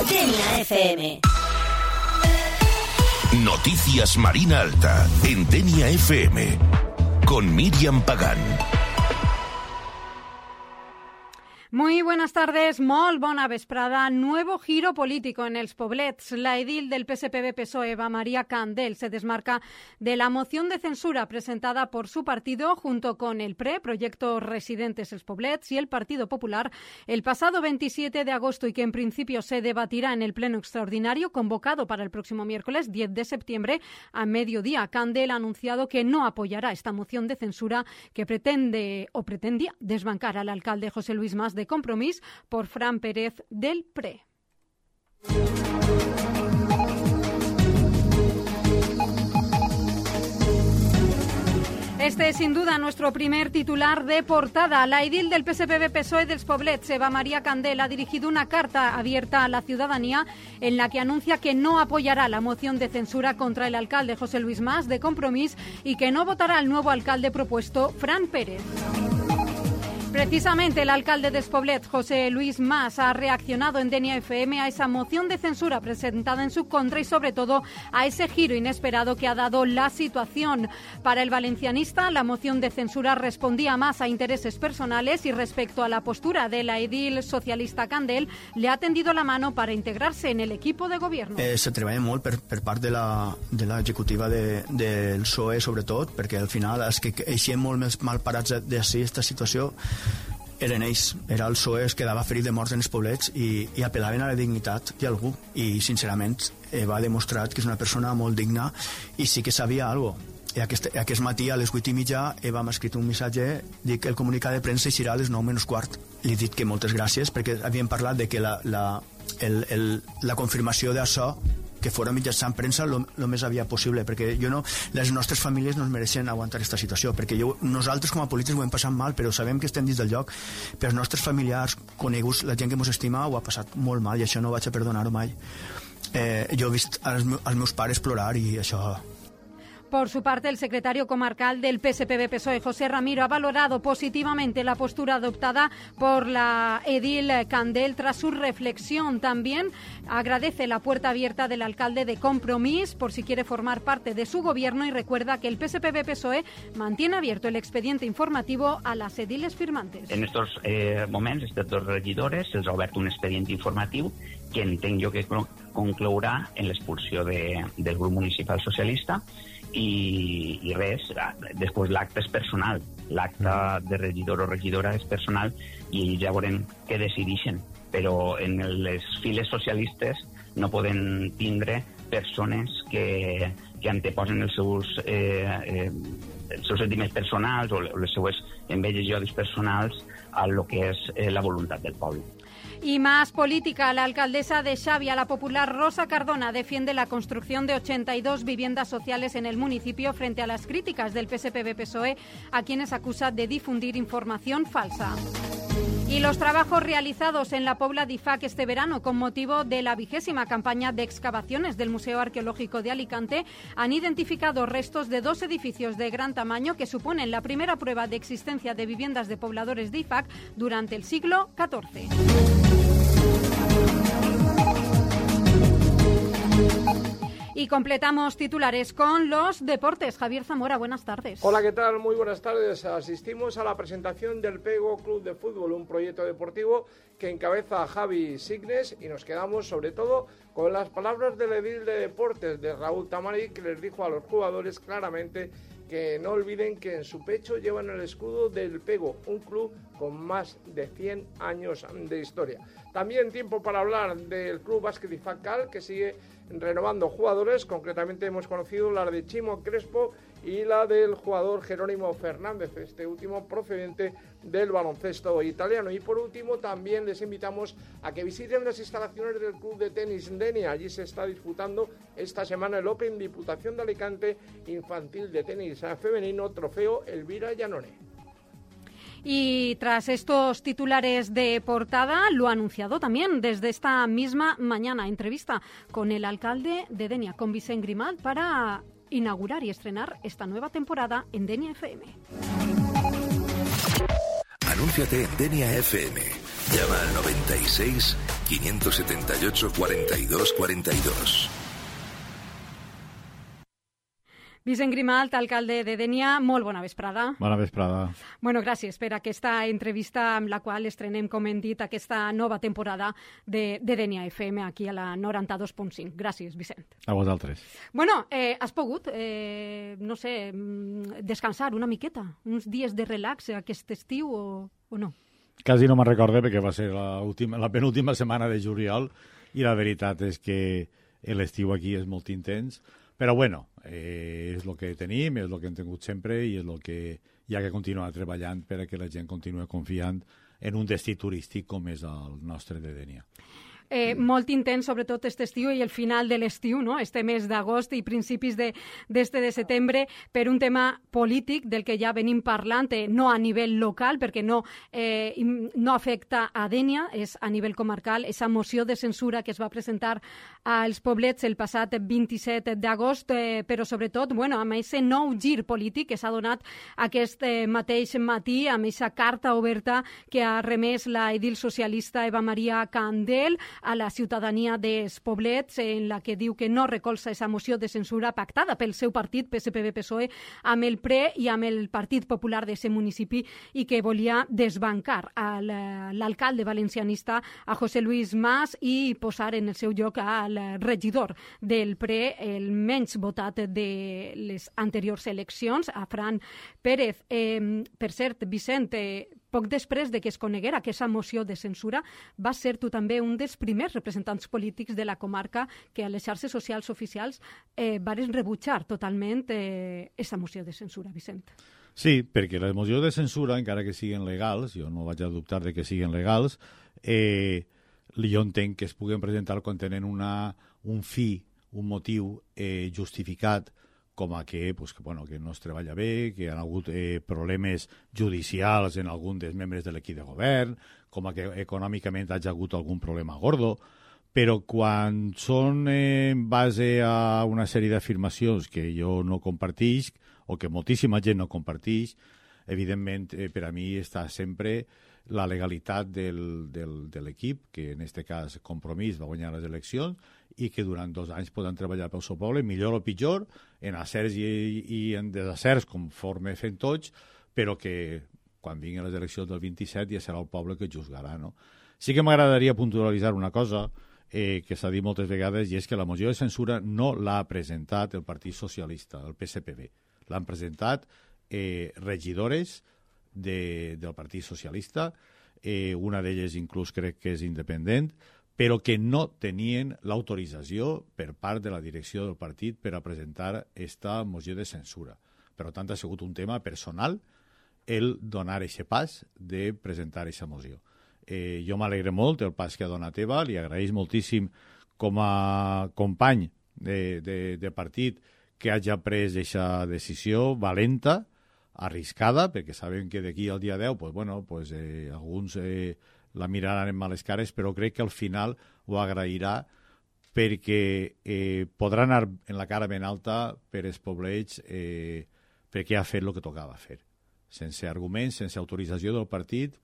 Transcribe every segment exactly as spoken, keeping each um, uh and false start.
Denia F M. Noticias Marina Alta en Denia F M con Miriam Pagán. Muy buenas tardes, molt bona vesprada. Nuevo giro político en els Poblets. La edil del P S P B-P S O E, Eva María Candel, se desmarca de la moción de censura presentada por su partido junto con el P R E, Proyecto Residentes Els Poblets, y el Partido Popular el pasado veintisiete de agosto y que en principio se debatirá en el pleno extraordinario convocado para el próximo miércoles diez de septiembre a mediodía. Candel ha anunciado que no apoyará esta moción de censura que pretende o pretendía desbancar al alcalde José Luis Mas de Compromís por Fran Pérez del P R E. Este es sin duda nuestro primer titular de portada. La edil del P S P B-P S O E dels Poblets, Eva María Candel, ha dirigido una carta abierta a la ciudadanía en la que anuncia que no apoyará la moción de censura contra el alcalde José Luis Mas de Compromís y que no votará al nuevo alcalde propuesto, Fran Pérez. Precisamente el alcalde de Poblet, José Luis Mas, ha reaccionado en Denia F M a esa moción de censura presentada en su contra y sobre todo a ese giro inesperado que ha dado la situación. Para el valencianista, la moción de censura respondía más a intereses personales y respecto a la postura de la edil socialista Candel, le ha tendido la mano para integrarse en el equipo de gobierno. Eh, se treballa molt per, per part de la, de l'executiva de, del P S O E, sobretot, perquè al final els que eixien molt més mal parats d'ací aquesta situació eren ells, era el P S O E que quedava ferit de morts en els poblets i, i apel·laven a la dignitat d'algú i sincerament eh, va demostrar que és una persona molt digna i sí que sabia alguna cosa. I aquest, aquest matí a les vuit i mitja Eva m'ha escrit un missatge, dic que el comunicat de premsa eixirà a les nou menys quart. Li he dit que moltes gràcies perquè havíem parlat de que la, la, el, el, la confirmació d'això que fora mitjançant premsa el més aviat possible, perquè jo no, les nostres famílies no es mereixen aguantar aquesta situació, perquè jo, nosaltres com a polítics ho hem passat mal, però sabem que estem dins del lloc, però els nostres familiars, coneguts, la gent que ens estima, ho ha passat molt mal i això no vaig a perdonar-ho mai. Eh, jo he vist els, els meus pares plorar i això... Por su parte, el secretario comarcal del P S P B-P S O E, José Ramiro, ha valorado positivamente la postura adoptada por la edil Candel tras su reflexión. También agradece la puerta abierta del alcalde de Compromís por si quiere formar parte de su gobierno y recuerda que el P S P B-P S O E mantiene abierto el expediente informativo a las ediles firmantes. En estos eh, moments, aquests dos regidores se'ls ha obert un expedient informatiu que entenc jo que conclourà en l'expulsió de, del grup municipal socialista. I, i res, després l'acte és personal, l'acte de regidor o regidora és personal i ells ja veurem què decideixen, però en les files socialistes no poden tindre persones que, que anteposen els seus, eh, eh, els seus sentiments personals o les seues enveges i odis personals a lo que és eh, la voluntat del poble. Y más política, la alcaldesa de Xavia, la popular Rosa Cardona, defiende la construcción de ochenta y dos viviendas sociales en el municipio frente a las críticas del P S P B-P S O E, a quienes acusa de difundir información falsa. Y los trabajos realizados en la Pobla d'Ifac este verano con motivo de la vigésima campaña de excavaciones del Museo Arqueológico de Alicante han identificado restos de dos edificios de gran tamaño que suponen la primera prueba de existencia de viviendas de pobladores de Ifac durante el siglo catorce. Y completamos titulares con los deportes. Javier Zamora, buenas tardes. Hola, ¿qué tal? Muy buenas tardes. Asistimos a la presentación del Pego Club de Fútbol, un proyecto deportivo que encabeza Javi Signes, y nos quedamos sobre todo con las palabras del edil de deportes de Raúl Tamari, que les dijo a los jugadores claramente que no olviden que en su pecho llevan el escudo del Pego, un club con más de cien años de historia. También tiempo para hablar del Club Básquet Ifac Cal, que sigue renovando jugadores. Concretamente hemos conocido la de Chimo Crespo y la del jugador Jerónimo Fernández, este último procedente del baloncesto italiano. Y por último también les invitamos a que visiten las instalaciones del Club de Tenis Denia. Allí se está disputando esta semana el Open Diputación de Alicante Infantil de Tenis Femenino, trofeo Elvira Llanone. Y tras estos titulares de portada, lo ha anunciado también desde esta misma mañana, entrevista con el alcalde de Denia, con Vicent Grimalt, para inaugurar y estrenar esta nueva temporada en Denia F M. Anúnciate en Denia F M. Llama al noventa y seis, cinco siete ocho, cuarenta y dos cuarenta y dos. Vicent Grimalt, alcalde de Dénia, molt bona vesprada. Bona vesprada. Bueno, gràcies per aquesta entrevista amb la qual estrenem, com hem dit, aquesta nova temporada de, de Dénia F M aquí a la noranta-dos punt cinc. Gràcies, Vicent. A vosaltres. Bueno, eh, has pogut, eh, no sé, descansar una miqueta, uns dies de relax aquest estiu o, o no? Quasi no me'n recorde perquè va ser la, última, la penúltima setmana de juliol i la veritat és que l'estiu aquí és molt intens. Però bueno, eh, és el que tenim, és el que hem tingut sempre i és el que hi ha que continuar treballant per a que la gent continue confiant en un destí turístic com és el nostre de Dénia. Eh, molt intens, sobretot aquest estiu i el final de l'estiu, no? Este mes d'agost i principis de, d'este de setembre, per un tema polític del que ja venim parlant, eh, no a nivell local, perquè no, eh, no afecta a Dénia, és a nivell comarcal, esa moció de censura que es va presentar als Poblets el passat vint-i-set d'agost, eh, però sobretot, bueno, amb aquest nou gir polític que s'ha donat aquest eh, mateix matí, amb aquesta carta oberta que ha remès la edil socialista Eva Maria Candel a la ciutadania dels Poblets, en la que diu que no recolza aquesta moció de censura pactada pel seu partit, P S P B P S O E, amb el P R E i amb el Partit Popular d'aquest municipi i que volia desbancar a l'alcalde valencianista, a José Luis Mas, i posar en el seu lloc al regidor del P R E, el menys votat de les anteriors eleccions, a Fran Pérez. Eh, per cert, Vicent, eh, poc després de que es coneguera aquesta moció de censura, va ser tu també un dels primers representants polítics de la comarca que a les xarxes socials oficials eh, varen rebutjar totalment aquesta eh, moció de censura, Vicent. Sí, perquè les mocions de censura, encara que siguin legals, jo no vaig a dubtar de que siguin legals, eh, jo entenc que es puguen presentar quan tenen una, un fi, un motiu eh, justificat, com a que, pues, que, bueno, que no es treballa bé, que hi ha hagut eh, problemes judicials en algun dels membres de l'equip de govern, com a que econòmicament hi ha hagut algun problema gordo, però quan són eh, en base a una sèrie d'afirmacions que jo no compartix, o que moltíssima gent no compartix, evidentment, eh, per a mi està sempre la legalitat del, del, de l'equip, que en aquest cas Compromís va guanyar les eleccions, i que durant dos anys poden treballar pel seu poble, millor o pitjor, en acerts i, i en desacerts, conforme fent tots, però que quan vinguin les eleccions del vint-i-set ja serà el poble que juzgarà, no? Sí que m'agradaria puntualitzar una cosa eh, que s'ha dit moltes vegades, i és que la moció de censura no l'ha presentat el Partit Socialista, el P S P B. L'han presentat eh, regidores de, del Partit Socialista, eh, una d'elles inclús crec que és independent, però que no tenien l'autorització per part de la direcció del partit per a presentar aquesta moció de censura. Per tant, ha sigut un tema personal el donar aquest pas de presentar aquesta moció. Eh, jo m'alegre molt el pas que ha donat Eva, li agraeix moltíssim com a company de, de, de partit que hagi pres aquesta decisió valenta, arriscada, perquè saben que d'aquí al dia deu, pues, bueno, pues, eh, alguns eh, la miraran en males cares, però crec que al final ho agrairà perquè eh, podrà anar en la cara ben alta per els poblets eh, perquè ha fet el que tocava fer. Sense arguments, sense autorització del partit,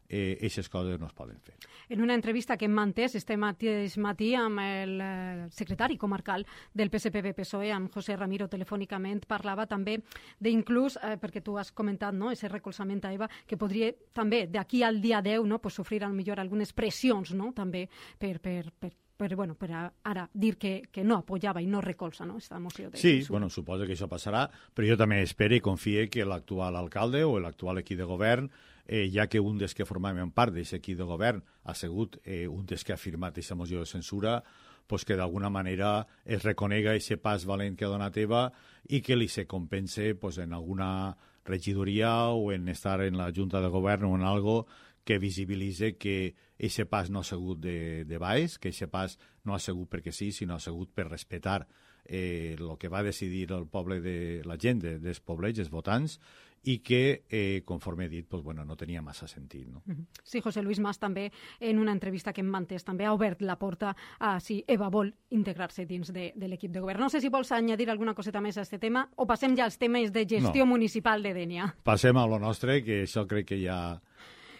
aquestes eh, coses no es poden fer. En una entrevista que hem mantès este mateix matí amb el eh, secretari comarcal del P S P B P S O E, amb José Ramiro, telefònicament, parlava també d'inclús, eh, perquè tu has comentat, no?, ese recolzament a Eva, que podria també d'aquí al dia deu, no?, pues, sofrir al millor algunes pressions, no?, també per, per, per per, bueno, per ara dir que, que no apoyava i no recolza, no?, esta moció de Sí, censura. bueno, suposo que això passarà, però jo també espero i confie que l'actual alcalde o l'actual equip de govern, eh, ja que un dels que formaven part d'aquest equip de govern ha sigut eh, un dels que ha firmat aquesta moció de censura, pues que d'alguna manera es reconega aquest pas valent que ha donat Eva i que li se compense pues, en alguna regidoria o en estar en la Junta de Govern o en algo que visibilitze que aquest pas no ha sigut de, de baix, que aquest pas no ha sigut perquè sí, sinó ha sigut per respectar el eh, que va decidir el poble de la gent, de, dels poblets, els votants, i que, eh, conforme he dit, pues, bueno, no tenia massa sentit. No? Sí, José Luis Mas també, en una entrevista que hem mantès, també ha obert la porta a si Eva vol integrar-se dins de, de l'equip de govern. No sé si vols añadir alguna coseta més a aquest tema o passem ja als temes de gestió no. municipal de Dénia. Passem a lo nostre, que això crec que ja...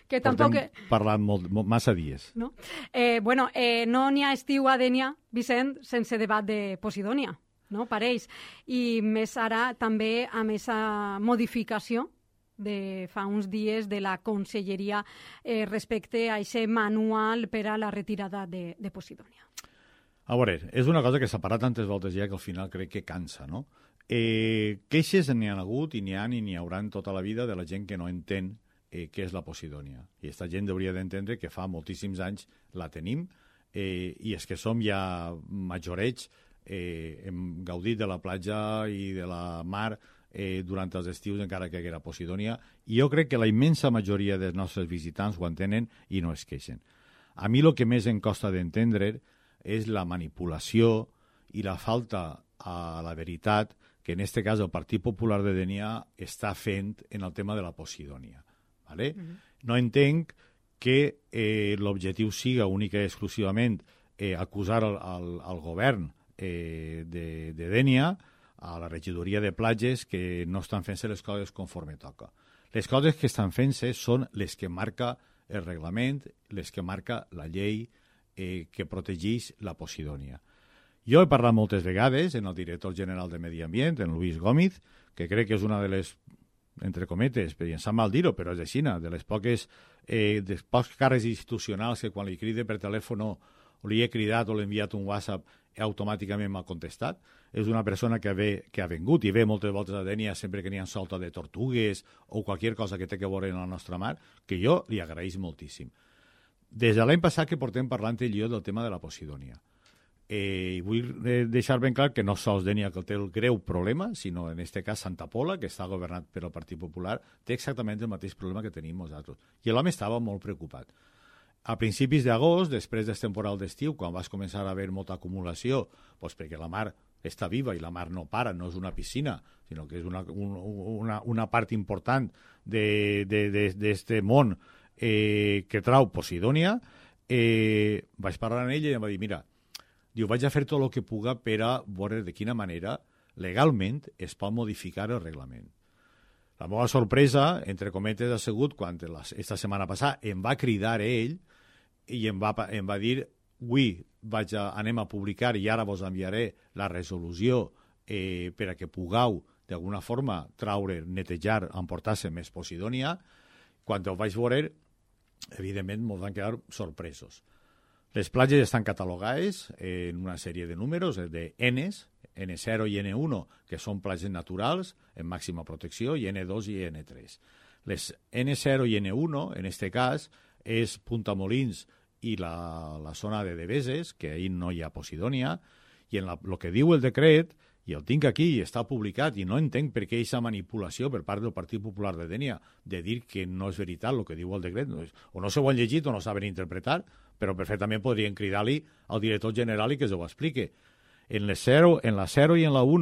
que tampoc... Portem parlant molt, molt, massa dies. No, eh, bueno, eh, no n'hi ha estiu a Dénia, Vicent, sense debat de Posidònia, no? Pareix. I més ara també amb aquesta modificació de fa uns dies de la Conselleria eh, respecte a aquest manual per a la retirada de, de Posidònia. A veure, és una cosa que s'ha parat tantes voltes ja que al final crec que cansa, no? Eh, queixes n'hi ha hagut i n'hi ha i n'hi haurà tota la vida de la gent que no entén eh, què és la Posidònia. I aquesta gent hauria d'entendre que fa moltíssims anys la tenim eh, i és que som ja majorets, eh, hem gaudit de la platja i de la mar eh, durant els estius encara que era Posidònia, i jo crec que la immensa majoria dels nostres visitants ho entenen i no es queixen. A mi el que més em costa d'entendre és la manipulació i la falta a la veritat que en aquest cas el Partit Popular de Dénia està fent en el tema de la Posidònia. ¿Vale? Mm-hmm. No entenc que eh, l'objectiu siga única i exclusivament eh, acusar al, al, al govern eh, de, de Dénia, a la regidoria de platges, que no estan fent-se les coses conforme toca. Les coses que estan fent-se són les que marca el reglament, les que marca la llei eh, que protegeix la Posidònia. Jo he parlat moltes vegades amb el director general de Medi Ambient, en Luis Gómez, que crec que és una de les, entre cometes, però em sap mal dir-ho, però és així, de les poques, eh, dels pocs càrrecs institucionals que quan li cride per telèfon o li he cridat o l'he enviat un WhatsApp automàticament m'ha contestat. És una persona que, ve, que ha vengut i ve moltes voltes a Dénia sempre que n'hi ha solta de tortugues o qualsevol cosa que té que veure en la nostra mar, que jo li agraeix moltíssim. Des de l'any passat que portem parlant ell i jo del tema de la Posidònia. Eh, vull deixar ben clar que no sols Dénia que té el greu problema, sinó en aquest cas Santa Pola, que està governat per el Partit Popular, té exactament el mateix problema que tenim nosaltres. I l'home estava molt preocupat. A principis d'agost, després del temporal d'estiu, quan vas començar a haver molta acumulació, doncs perquè la mar està viva i la mar no para, no és una piscina, sinó que és una, un, una, una part important d'aquest món eh, que trau Posidònia, eh, vaig parlar amb ell i em va dir, mira, diu, vaig a fer tot el que puga per a veure de quina manera legalment es pot modificar el reglament. La meva sorpresa, entre cometes, ha sigut quan aquesta setmana passada em va cridar ell i em va, em va dir, avui vaig a, anem a publicar i ara vos enviaré la resolució eh, per a que pugueu d'alguna forma traure, netejar, emportar-se més Posidònia. Quan ho vaig veure, evidentment, ens van quedar sorpresos. Les platges estan catalogades en una sèrie de números, de Ns, ene zero i ene u, que són platges naturals en màxima protecció, i ene dos i ene tres. Les ene zero i ene u, en aquest cas, és Punta Molins i la, la zona de Deveses, que ahir no hi ha Posidònia, i en el que diu el decret, i el tinc aquí i està publicat, i no entenc per què aquesta manipulació per part del Partit Popular de Dénia de dir que no és veritat el que diu el decret, o no s'ho han llegit o no saben interpretar, però perfectament podrien cridar-li al director general i que s'ho explique. En, zero, en la zero i en la u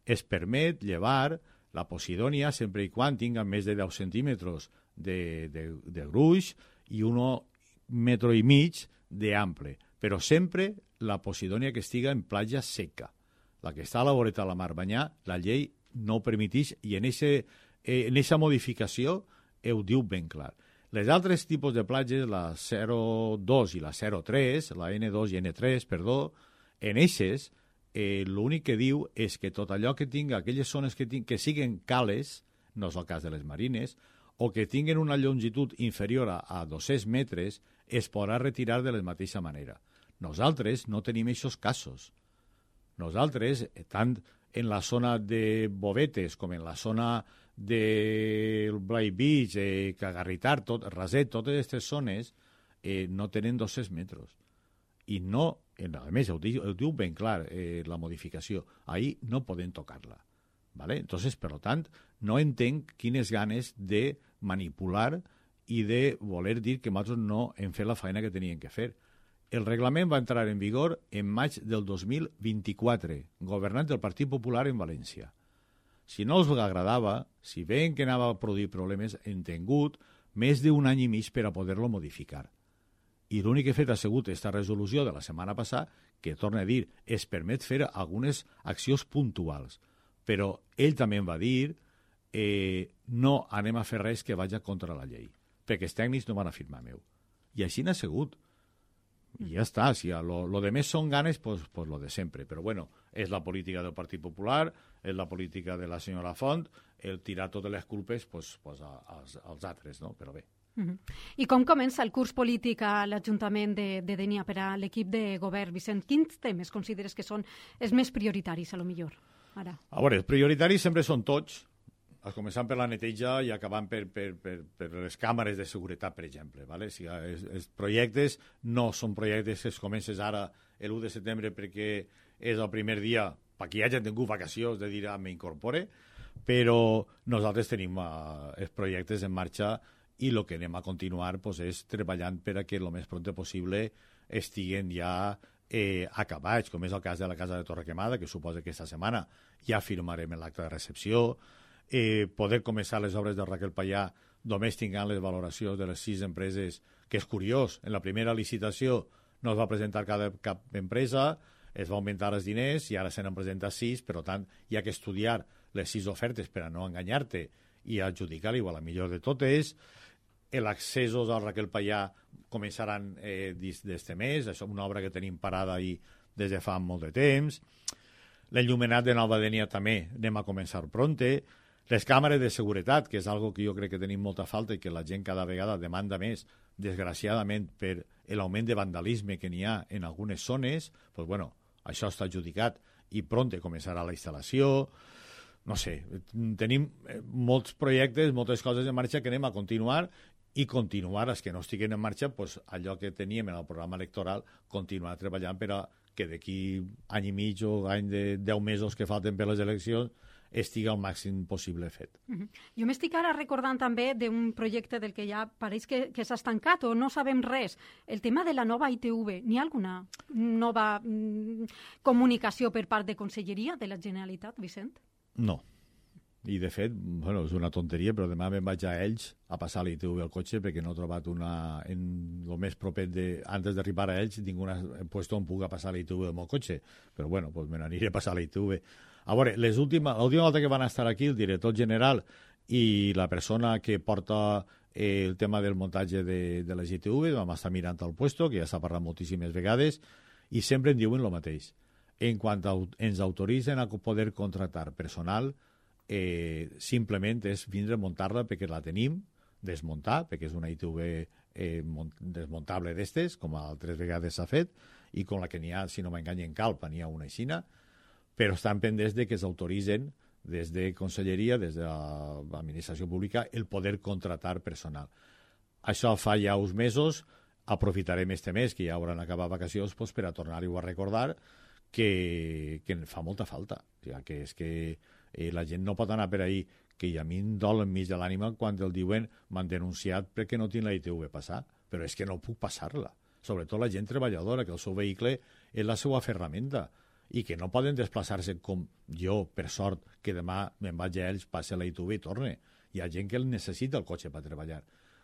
es permet llevar la Posidònia sempre i quan tinga més de deu centímetres de, de, de gruix i un metro i mig d'ample, però sempre la Posidònia que estiga en platja seca. La que està a la voreta de la mar banyà, la llei no ho permeteix i en aquesta modificació ho diu ben clar. Les altres tipus de platges, la zero dos i la zero tres, la ene dos i ene tres, perdó, en eixes, eh, l'únic que diu és que tot allò que tinga, aquelles zones que, ting que siguen cales, no és el cas de les marines, o que tinguen una longitud inferior a, a dos-cents metres, es podrà retirar de la mateixa manera. Nosaltres no tenim aquests casos. Nosaltres, tant en la zona de Bovetes com en la zona del Blai Beach, eh, Cagarritar, tot, Raset, totes aquestes zones eh, no tenen dos-cents metres. I no, a més, ho diu, ho diu ben clar eh, la modificació, ahir no podem tocar-la. ¿Vale? Entonces, per tant, no entenc quines ganes de manipular i de voler dir que nosaltres no hem fet la feina que teníem que fer. El reglament va entrar en vigor en maig del dos mil vint-i-quatre, governant el Partit Popular en València. Si no els agradava, si veien que anava a produir problemes, hem tingut més d'un any i mig per a poder-lo modificar. I l'únic que he fet ha sigut aquesta resolució de la setmana passada, que, torna a dir, es permet fer algunes accions puntuals. Però ell també em va dir eh, no anem a fer res que vagi contra la llei. perquè els tècnics no van a firmar meu. I així n'ha sigut. I ja està, si lo, lo de més són ganes, pues, pues lo de sempre. Però bueno, és la política del Partit Popular, és la política de la senyora Font, el tirar totes les culpes pues, pues a, als, als altres, no? Però bé. Uh-huh. I com comença el curs polític a l'Ajuntament de, de Dénia per a l'equip de govern, Vicent? Quins temes consideres que són els més prioritaris, a lo millor, ara? A veure, els prioritaris sempre són tots, començant per la neteja i acabant per, per, per, per les càmeres de seguretat, per exemple. ¿vale? Si els, els projectes no són projectes que es comences ara l'u de setembre perquè és el primer dia perquè hi hagi tingut vacacions de dir ah, m'incorpore, però nosaltres tenim uh, els projectes en marxa i el que anem a continuar pues, és treballant per a que el més pront possible estiguen ja eh, acabats, com és el cas de la Casa de Torrequemada, que suposa que aquesta setmana ja firmarem l'acte de recepció, Eh, poder començar les obres de Raquel Payà només tinguant les valoracions de les sis empreses, que és curiós, en la primera licitació no es va presentar cada, cap empresa, es va augmentar els diners i ara se n'han presentat sis, per tant hi ha que estudiar les sis ofertes per a no enganyar-te i adjudicar-li a la millor de totes. Els accessos al Raquel Payà començaran eh, d'este mes, això és una obra que tenim parada ahí des de fa molt de temps. L'enllumenat de Nova Dénia també anem a començar pronte. Les càmeres de seguretat, que és algo que jo crec que tenim molta falta i que la gent cada vegada demanda més, desgraciadament, per l'augment de vandalisme que n'hi ha en algunes zones, pues bueno, això està adjudicat i pronte començarà la instal·lació. No sé, tenim molts projectes, moltes coses en marxa que anem a continuar i continuar els que no estiguen en marxa, pues, allò que teníem en el programa electoral, continuar treballant per a que d'aquí any i mig o any de deu mesos que falten per les eleccions estigui el màxim possible fet. Uh-huh. Jo m'estic ara recordant també d'un projecte del que ja pareix que, que s'ha estancat o no sabem res. El tema de la nova I T V. N'hi ha alguna nova mm, comunicació per part de Conselleria de la Generalitat, Vicent? No. I, de fet, bueno, és una tonteria, però demà me'n vaig a Elx a passar la I T V al cotxe perquè no he trobat una... En el més proper de... Antes d'arribar a Elx tinc un puesto on puc passar la I T V amb el cotxe. Però, bueno, pues me n'aniré a passar la I T V. A veure, l'última volta que van estar aquí el director general i la persona que porta eh, el tema del muntatge de, de les I T V, vam estar mirant el puesto, que ja s'ha parlat moltíssimes vegades, i sempre en diuen el mateix. En quant a, ens autoritzen a poder contractar personal, eh, simplement és vindre a muntar-la perquè la tenim, desmuntar, perquè és una I T V eh, desmuntable d'estes, com altres vegades s'ha fet, i com la que n'hi ha, si no m'enganyen Calpa, n'hi ha una aixina, però estan pendents de que s'autoritzen des de Conselleria, des de l'Administració Pública, el poder contratar personal. Això fa ja uns mesos, aprofitarem este mes, que ja hauran acabat vacacions, pues, per a tornar-ho a recordar que, que fa molta falta. O sigui, que és que eh, la gent no pot anar per ahí, que a mi em dol enmig de l'ànima quan el diuen m'han denunciat perquè no tinc la I T V passar, però és que no puc passar-la. Sobretot la gent treballadora, que el seu vehicle és la seva ferramenta, i que no poden desplaçar-se com jo, per sort, que demà me'n vaig a ells, passe la I T V i torne. Hi ha gent que necessita el cotxe per treballar.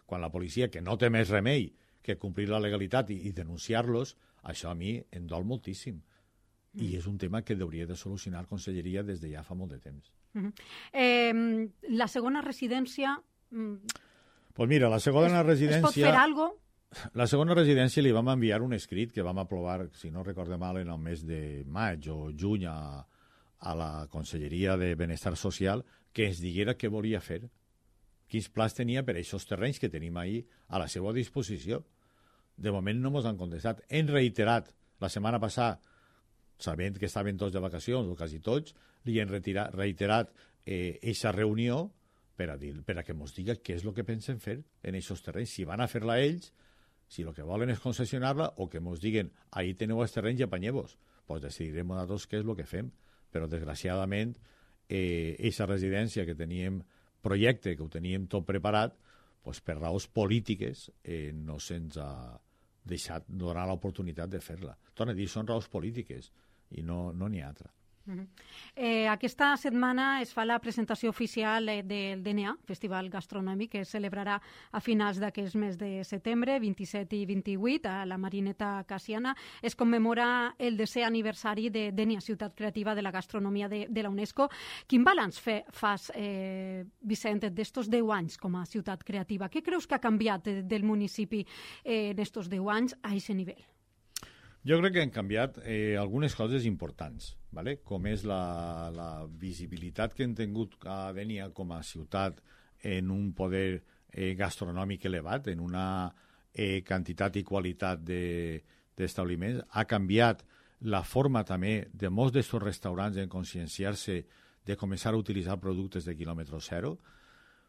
Quan la policia, que no té més remei que complir la legalitat i, i denunciar-los, això a mi em dol moltíssim. Mm. I és un tema que hauria de solucionar Conselleria des de ja fa molt de temps. Mm-hmm. eh, la segona residència... Doncs pues mira, la segona es, residència... Es pot fer alguna cosa? La segona residència li vam enviar un escrit que vam aprovar, si no recorde mal, en el mes de maig o juny a, a la Conselleria de Benestar Social, que ens diguera què volia fer, quins plans tenia per a aquests terrenys que tenim ahir a la seva disposició. De moment no ens han contestat. Hem reiterat la setmana passada, sabent que estaven tots de vacacions, o quasi tots, li hem retirat, reiterat aquesta eh, reunió per a, dir, per a que ens diga què és el que pensen fer en aquests terrenys, si van a fer-la ells, si el que volen és concessionar-la o que ens diguen ahí teniu els terrenys i apanyeu-vos, doncs decidirem nosaltres què és el que fem. Però desgraciadament aquesta eh, residència que teníem projecte, que ho teníem tot preparat, doncs per raons polítiques eh, no se'ns ha deixat donar l'oportunitat de fer-la. Torna a dir, són raons polítiques i no n'hi no ha altra. Uh-huh. Eh, aquesta setmana es fa la presentació oficial eh, del D N A, Festival Gastronòmic, que es celebrarà a finals d'aquest mes de setembre, vint-i-set i vint-i-vuit, a la Marineta Cassiana. Es commemora el desè aniversari de D N A, Ciutat Creativa de la Gastronomia de, de la UNESCO. Quin balanç fe, fas, eh, Vicent, d'estos deu anys com a ciutat creativa? Què creus que ha canviat de, del municipi eh, en estos deu anys a aquest nivell? Jo crec que han canviat eh, algunes coses importants, ¿vale? Com és la, la visibilitat que han tingut a Dénia com a ciutat en un poder eh, gastronòmic elevat, en una eh, quantitat i qualitat d'establiments. De, ha canviat la forma també de molts d'aquests restaurants en conscienciar-se de començar a utilitzar productes de quilòmetre zero.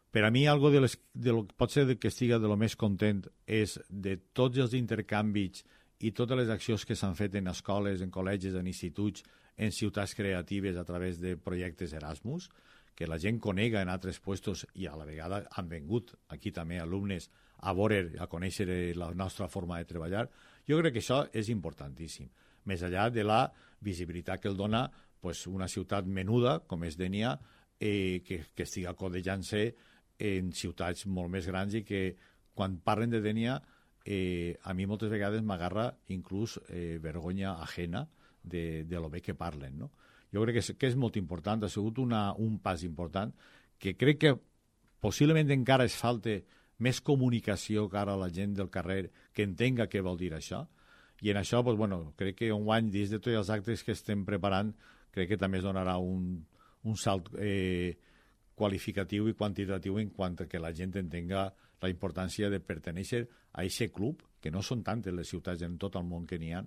Per a mi, algo de les, de lo, pot ser que estiga de lo més content és de tots els intercanvis i totes les accions que s'han fet en escoles, en col·legis, en instituts, en ciutats creatives a través de projectes Erasmus, que la gent conega en altres puestos i a la vegada han vengut aquí també alumnes a veure, a conèixer la nostra forma de treballar. Jo crec que això és importantíssim. Més enllà de la visibilitat que el dona pues, una ciutat menuda, com és Dénia, eh, que, que estiga codejant-se en ciutats molt més grans i que quan parlen de Dénia Eh, a mi moltes vegades m'agarra inclús eh, vergonya ajena de, de lo bé que parlen, no? Jo crec que és, que és molt important, ha sigut una, un pas important, que crec que possiblement encara es falta més comunicació cara a la gent del carrer que entenga què vol dir això, i en això, pues, bueno, crec que un any, dins de tots els actes que estem preparant, crec que també es donarà un, un salt eh, qualificatiu i quantitatiu en quant a que la gent entenga la importància de pertenèixer a aquest club, que no són tantes les ciutats en tot el món que n'hi ha,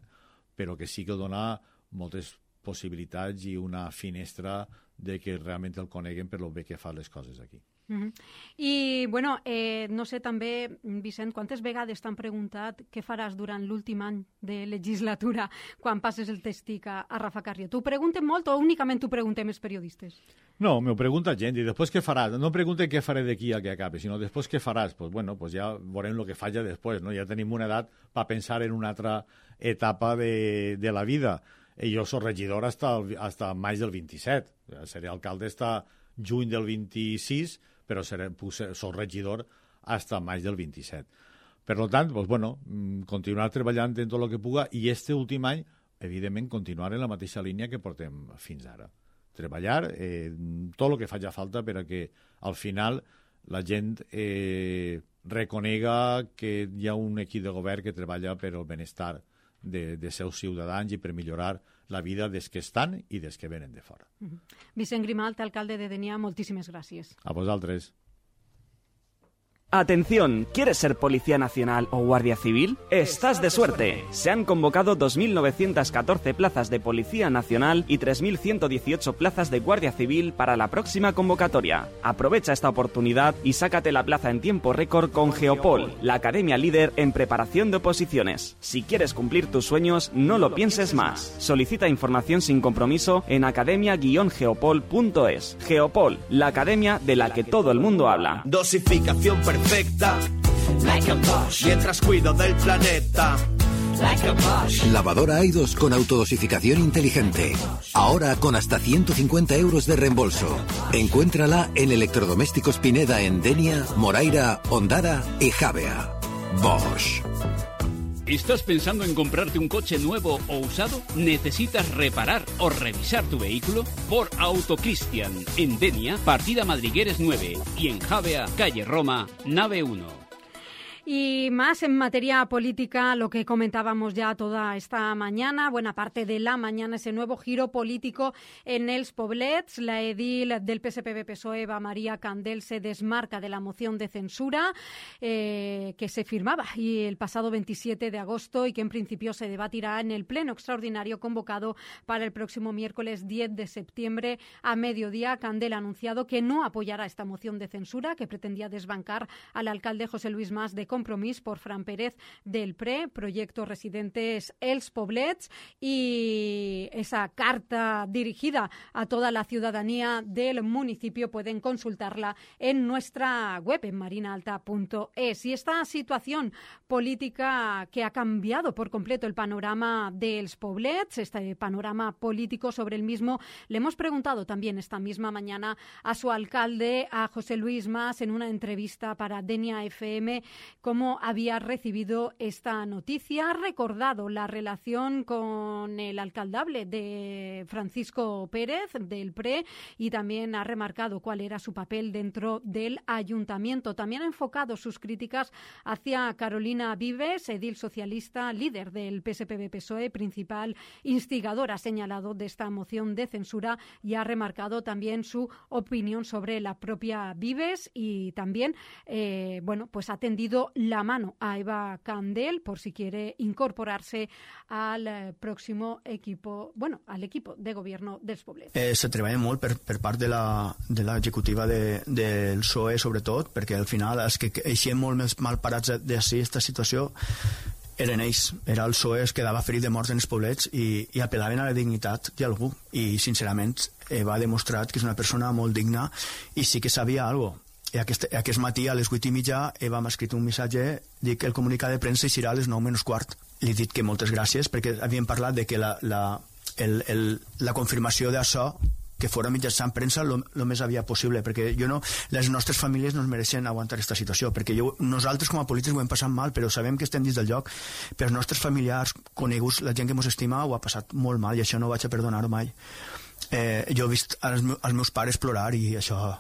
però que sí que dona moltes possibilitats i una finestra de que realment el coneguen per lo bé que fa les coses aquí. Uh-huh. I, bueno, eh, no sé també, Vicent, quantes vegades t'han preguntat què faràs durant l'últim any de legislatura quan passes el testic a, a Rafa Carrió? T'ho pregunten molt o únicament t'ho preguntem els periodistes? No, m'ho pregunta gent, i després què faràs? No pregunten què faré d'aquí a que acabe, sinó després què faràs? Pues bueno, pues ja veurem el que faig ja després, no? Ja tenim una edat per pensar en una altra etapa de, de la vida. I jo soc regidor hasta, el, hasta maig del vint-i-set. Seré alcalde hasta juny del vint-i-sis, però seré, soc regidor hasta maig del vint-i-set. Per tant, pues bueno, continuar treballant en tot el que puga i este últim any, evidentment, continuar en la mateixa línia que portem fins ara. Treballar eh, tot el que faci falta per a que al final la gent eh, reconega que hi ha un equip de govern que treballa per al benestar de, de seus ciutadans i per millorar la vida des que estan i des que venen de fora. Uh-huh. Vicent Grimalt, alcalde de Dénia, moltíssimes gràcies. A vosaltres. Atención, ¿quieres ser Policía Nacional o Guardia Civil? ¡Estás de suerte! Se han convocado dos mil novecientas catorce plazas de Policía Nacional y tres mil ciento dieciocho plazas de Guardia Civil para la próxima convocatoria. Aprovecha esta oportunidad y sácate la plaza en tiempo récord con Geopol, la academia líder en preparación de oposiciones. Si quieres cumplir tus sueños, no lo pienses más. Solicita información sin compromiso en academia guion geopol punto es. Geopol, la academia de la que todo el mundo habla. Dosificación perfecta. Perfecta, like a Bosch. Mientras cuido del planeta, like a Bosch. Lavadora Aidos con autodosificación inteligente. Ahora con hasta ciento cincuenta euros de reembolso. Encuéntrala en Electrodomésticos Pineda en Dénia, Moraira, Ondara y Javea. Bosch. ¿Estás pensando en comprarte un coche nuevo o usado? ¿Necesitas reparar o revisar tu vehículo? Por Autocristian, en Dénia, partida Madrigueres nueve, y en Javea, calle Roma, nave uno. Y más en materia política, lo que comentábamos ya toda esta mañana, buena parte de la mañana, ese nuevo giro político en els Poblets. La edil del P S P B-P S O E, Eva María Candel, se desmarca de la moción de censura eh, que se firmaba y el pasado veintisiete de agosto y que en principio se debatirá en el pleno extraordinario convocado para el próximo miércoles diez de septiembre a mediodía. Candel ha anunciado que no apoyará esta moción de censura que pretendía desbancar al alcalde José Luis Mas de Comas Compromís por Fran Pérez del P R E, Proyecto Residentes Els Poblets, y esa carta dirigida a toda la ciudadanía del municipio pueden consultarla en nuestra web, en marina alta punto es. Y esta situación política que ha cambiado por completo el panorama de Els Poblets, este panorama político, sobre el mismo le hemos preguntado también esta misma mañana a su alcalde, a José Luis Mas, en una entrevista para Denia F M, cómo había recibido esta noticia. Ha recordado la relación con el alcaldable de Francisco Pérez del P R E y también ha remarcado cuál era su papel dentro del ayuntamiento. También ha enfocado sus críticas hacia Carolina Vives, edil socialista, líder del P S P B P S O E, principal instigadora, ha señalado, de esta moción de censura, y ha remarcado también su opinión sobre la propia Vives y también eh, bueno, pues ha tendido la mano a Eva Candel por si quiere incorporarse al eh, próximo equipo, bueno, al equipo de gobierno dels Poblets. Eh, se treballa molt per, per part de la, de l'executiva de, del P S O E, sobretot, perquè al final els que eixien molt més mal parats d'ací aquesta situació eren ells, era el P S O E que quedava ferit de morts en els poblets i, i apel·laven a la dignitat d'algú, i sincerament Eva ha demostrat que és una persona molt digna i sí que sabia alguna cosa. I aquest, aquest matí a les vuit i mitja Eva m'ha escrit un missatge, dic que el comunicat de premsa eixirà a les nou menys quart. Li he dit que moltes gràcies perquè havíem parlat de que la, la, el, el, la confirmació d'això que fora mitjançant premsa el més aviat possible, perquè jo no, les nostres famílies no es mereixen aguantar aquesta situació, perquè jo, nosaltres com a polítics ho hem passat mal, però sabem que estem dins del lloc, però els nostres familiars, coneguts, la gent que ens estima, ho ha passat molt mal i això no vaig a perdonar-ho mai. Eh, jo he vist els, els meus pares plorar i això...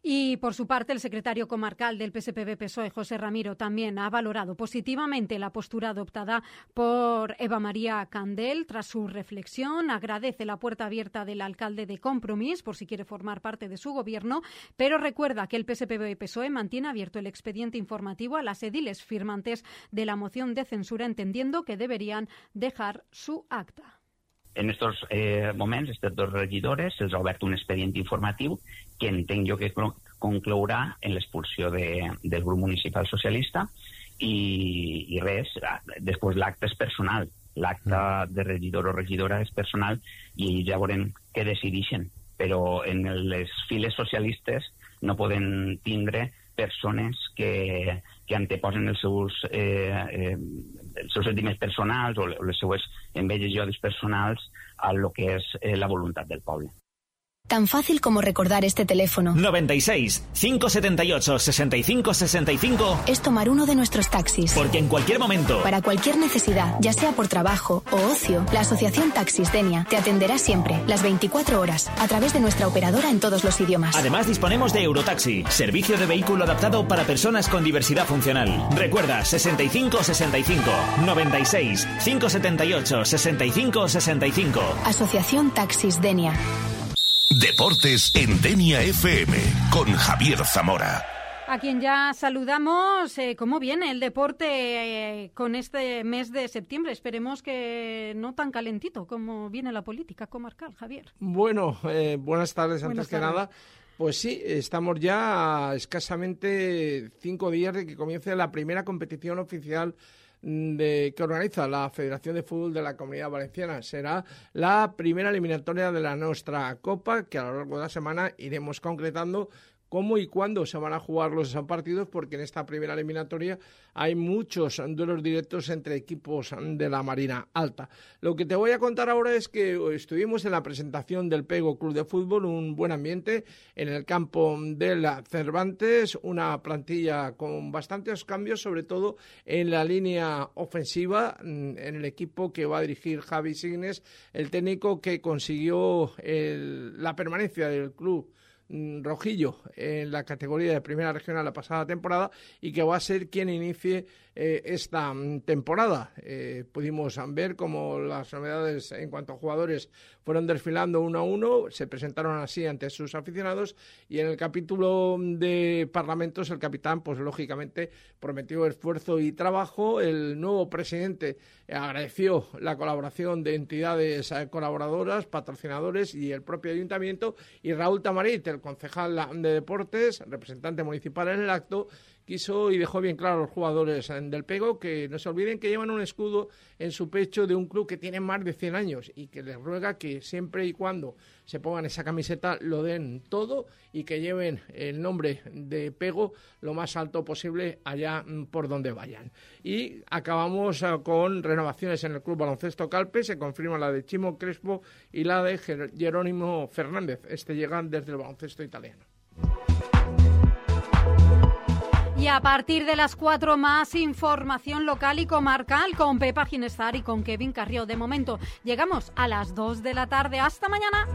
Y por su parte, el secretario comarcal del P S P B P S O E, José Ramiro, también ha valorado positivamente la postura adoptada por Eva María Candel tras su reflexión. Agradece la puerta abierta del alcalde de Compromís por si quiere formar parte de su gobierno, pero recuerda que el P S P B P S O E mantiene abierto el expediente informativo a las ediles firmantes de la moción de censura, entendiendo que deberían dejar su acta. En estos eh, moments, aquestes dos regidores se'ls ha obert un expedient informatiu que entenc jo que conclourà en l'expulsió de, del grup municipal socialista i, i res, després l'acte és personal, l'acte de regidor o regidora és personal i ells ja veurem què decideixen, però en les files socialistes no poden tindre persones que, que anteposen els seus, eh, eh, els seus sentiments personals o les seues enveges i odis personals a lo que és eh, la voluntat del poble. Tan fácil como recordar este teléfono. noventa y seis, cinco setenta y ocho, sesenta y cinco sesenta y cinco. Es tomar uno de nuestros taxis. Porque en cualquier momento, para cualquier necesidad, ya sea por trabajo o ocio, la Asociación Taxis Denia te atenderá siempre, las veinticuatro horas, a través de nuestra operadora en todos los idiomas. Además, disponemos de Eurotaxi, servicio de vehículo adaptado para personas con diversidad funcional. Recuerda, sesenta y cinco sesenta y cinco, noventa y seis, cinco setenta y ocho, sesenta y cinco sesenta y cinco. Asociación Taxis Denia. Deportes en Denia F M con Javier Zamora. A quien ya saludamos. Eh, ¿Cómo viene el deporte eh, con este mes de septiembre? Esperemos que no tan calentito como viene la política comarcal, Javier. Bueno, eh, buenas tardes. Buenas antes que tardes. nada. Pues sí, estamos ya a escasamente cinco días de que comience la primera competición oficial de, que organiza la Federación de Fútbol de la Comunidad Valenciana. Será la primera eliminatoria de la nuestra Copa, que a lo largo de la semana iremos concretando cómo y cuándo se van a jugar los partidos, porque en esta primera eliminatoria hay muchos duelos directos entre equipos de la Marina Alta. Lo que te voy a contar ahora es que estuvimos en la presentación del Pego Club de Fútbol, un buen ambiente en el campo de la Cervantes, una plantilla con bastantes cambios, sobre todo en la línea ofensiva, en el equipo que va a dirigir Javi Signes, el técnico que consiguió el, la permanencia del club rojillo en la categoría de primera regional la pasada temporada y que va a ser quien inicie eh, esta temporada. Eh, pudimos ver cómo las novedades en cuanto a jugadores fueron desfilando uno a uno, se presentaron así ante sus aficionados y en el capítulo de Parlamentos el capitán pues lógicamente prometió esfuerzo y trabajo. El nuevo presidente agradeció la colaboración de entidades colaboradoras, patrocinadores y el propio ayuntamiento, y Raúl Tamarit, el concejal de deportes, representante municipal en el acto, quiso y dejó bien claro a los jugadores del Pego que no se olviden que llevan un escudo en su pecho de un club que tiene más de cien años y que les ruega que siempre y cuando se pongan esa camiseta lo den todo y que lleven el nombre de Pego lo más alto posible allá por donde vayan. Y acabamos con renovaciones en el Club Baloncesto Calpe, se confirma la de Chimo Crespo y la de Jerónimo Fernández, este llegan desde el baloncesto italiano. Y a partir de las cuatro más información local y comarcal con Pepa Ginestar y con Kevin Carrió. De momento llegamos a las dos de la tarde. ¡Hasta mañana!